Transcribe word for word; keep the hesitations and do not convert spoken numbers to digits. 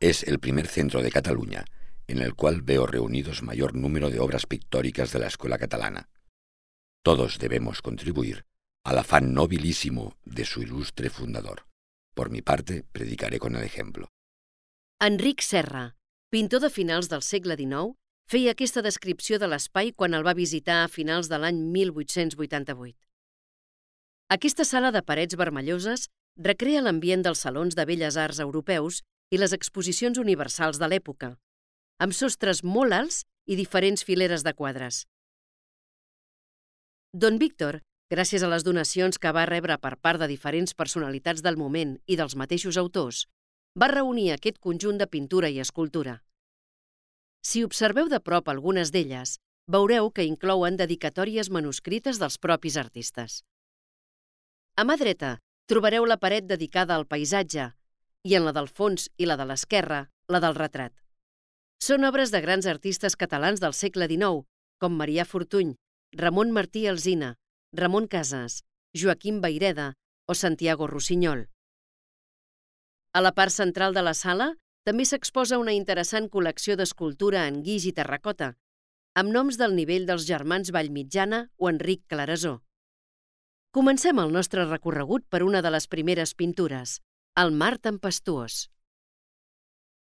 Es el primer centro de Cataluña en el cual veo reunidos mayor número de obras pictóricas de la escuela catalana. Todos debemos contribuir al afán nobilísimo de su ilustre fundador. Por mi parte, predicaré con el ejemplo. Enric Serra, pintor de finals del segle dinou, feia aquesta descripció de l'espai quan el va visitar a finals de l'any mil vuit-cents vuitanta-vuit. Aquesta sala de parets vermelloses recrea l'ambient dels salons de belles arts europeus i les exposicions universals de l'època, amb sostres molt alts i diferents fileres de quadres. Don Víctor, gràcies a les donacions que va rebre per part de diferents personalitats del moment i dels mateixos autors, va reunir aquest conjunt de pintura i escultura. Si observeu de prop algunes d'elles, veureu que inclouen dedicatòries manuscrites dels propis artistes. A mà dreta trobareu la paret dedicada al paisatge i en la del fons i la de l'esquerra, la del retrat. Són obres de grans artistes catalans del segle dinou, com Marià Fortuny, Ramon Martí Alsina, Ramon Casas, Joaquim Vayreda o Santiago Rossinyol. A la part central de la sala també s'exposa una interessant col·lecció d'escultura en guix i terracota, amb noms del nivell dels germans Vallmitjana o Enric Clarasó. Comencem el nostre recorregut per una de les primeres pintures, el mar tempestuós.